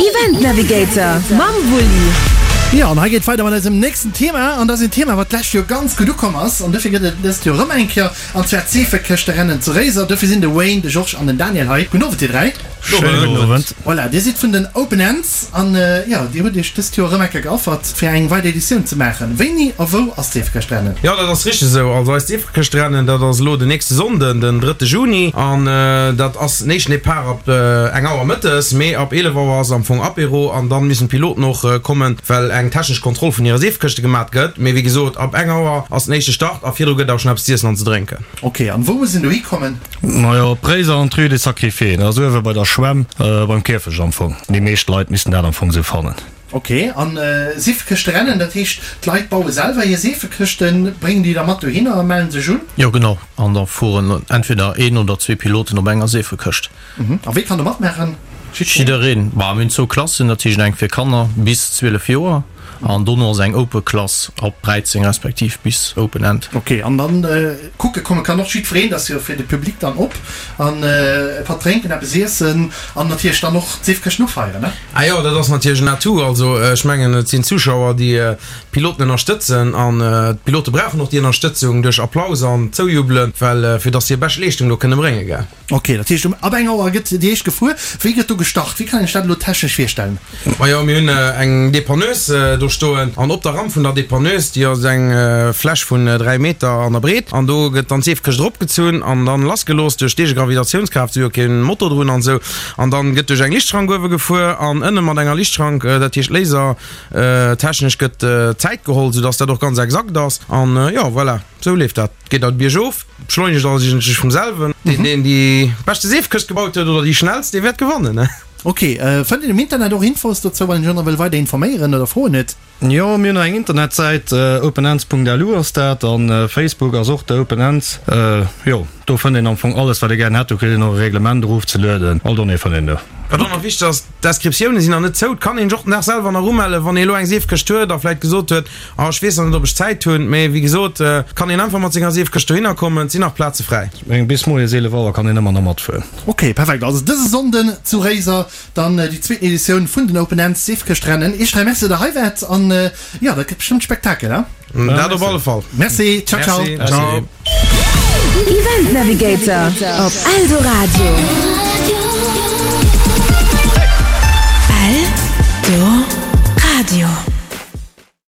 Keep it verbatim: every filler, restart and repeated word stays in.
Event Navigator mam Wulli. Jo, an hei geet weider mat eisem nächsten Thema, an dat ass een Thema, wat d'lescht Joer ganz gutt ukomm ass, an dofir gëtt et dëst Joer erëm eng Kéier, an zwar d'Seefekëschterennen zu Réiser. Dofir sinn de Wayne, de Georges an den Daniel hei. Gudden Owend, dir dräi. Schéine gudden Owend. Voilà, dir sidd vun den Open Ends an jo, dir hutt iech dëst Joer erëm eng Kéier geaffert, fir eng weider Editioun ze maachen. Wéini a wou ass d'Seefekëschtrennen? Jo, dat ass richteg esou. Also eist Seefekëschtrennen, dat ass elo den nächste Sonnden, den drëtte Juni. An dat ass den éischten Depart ab eng Auer mëttes, mee ab eelef Auer ass am Fong Apéro an dann müssen d'Piloten och kommen, well eng technesch Kontroll vun hire Seefekëschte gemat gëtt. Mee wéi gesot, ab eng Auer ass den éischte Start a virdru gëtt awer schonn eppes z'iessen an ze drénken. Ok, an wou muss een dohi kommen? Majo, op Réiser an d'Rue des Sacrifiés, dat ass uewe bei der Schwämm, beim Kierfecht am Fong. Déi meescht Leit missten dat am Fong sou fannen. Ok, an Seefekëschterennen, dat heescht d'Leit baue selwer hir Seefekëschten, bréngen déi da mat dohinner a mellen sech un? Jo genau, an da fueren entweder een oder zwee Piloten op enger Seefekëscht. A wee kann do matmaachen? Jiddereen. Bah, mir hunn zwou Klassen, dat heescht eng fir Kanner bis zwielef Joer an dono ass eng Open Klass ab dräizéng respektiv bis Open End. Ok, an dann kucke komme kann och jiddwereen, dat ass jo fir de Public dann op, an e Patt drénken, eppes iessen an natierlech dann och d'Seefkëschten ufeieren, ne? Ah jo, dat ass natierlech en Atout. Also ech mengen, et sinn Zuschauer, déi d'Piloten ënnerstëtzen an d'Pilote brauchen och déi Ënnerstëtzung duerch Applaus an Zoujubelen, well fir dass se hir bescht Leeschtung do kënne bréngen, gell. Ok, dat heescht um ab eng Auer gëtt déi éischt gefuer. Wéi gëtt do gestart? Wéi kann een sech dat elo technesch virstellen? Majo, mir hunn eng Dépanneuse do stoen an op der Ramp vun der Dépanneuse, déi ass eng Fläch vun dräi Meter an der Breet an do gëtt dann d'Seefkëscht eropgezunn an dann lassgelooss duerch d'Eegegravitatiounskraaft, si hu jo keen Motor drun an esou, an dann gëtt duerch eng Lichtschrank uewe gefuer an ënne mat enger Lichtschrank, dat heescht lasertechnesch gëtt d'Zäit geholl, soudass dat och ganz exakt ass an jo, voilà, esou leeft dat. Geet dat biergof, beschleunegt alles iergendwéi vum selwen. Deen, deen déi beschte Seefkëscht gebaut huet oder déi schnellst, dee wäert gewannen. Ok, fënnt een um Internet och Infos dozou, wann een sech och nach wëll weider informéieren oder Froen huet? Jo, mir hunn och eng Internetsäit, openends.lu ass dat, an Facebook ass och de Openends. Jo, do fënnt een am Fong alles, wat ee gären hätt. Do kritt een och e Reglement erofzelueden, all Donnéeë fënnt een do. Wat och nach wichteg ass, D'Inscriptioune sinn nach net zou. Et kann een sech och den Dag selwer nach umellen, wann ee elo eng Seefkëscht huet a vläit gesot huet, Ah, ech weess nach net, ob ech Zäit hunn. Mee wéi gesot, et kann een einfach mat senger Seefkëscht dohinner kommen, et sinn nach Plaze fräi. Ech mengen, bis moies eelef Auer kann een ëmmer nach matfueren. Ok, perfekt. Also dëse Sonnden zu Réiser dann déi zweeten Editioun vun den Open Ends Seefkëschtrennen. Iech dräi Merci, datt der hei waart an jo, dat gëtt bestëmmt Spektakel, he? Dat op alle Fall. Merci, ciao ciao. Merci, ciao. Event Navigator op Eldoradio. Eldoradio.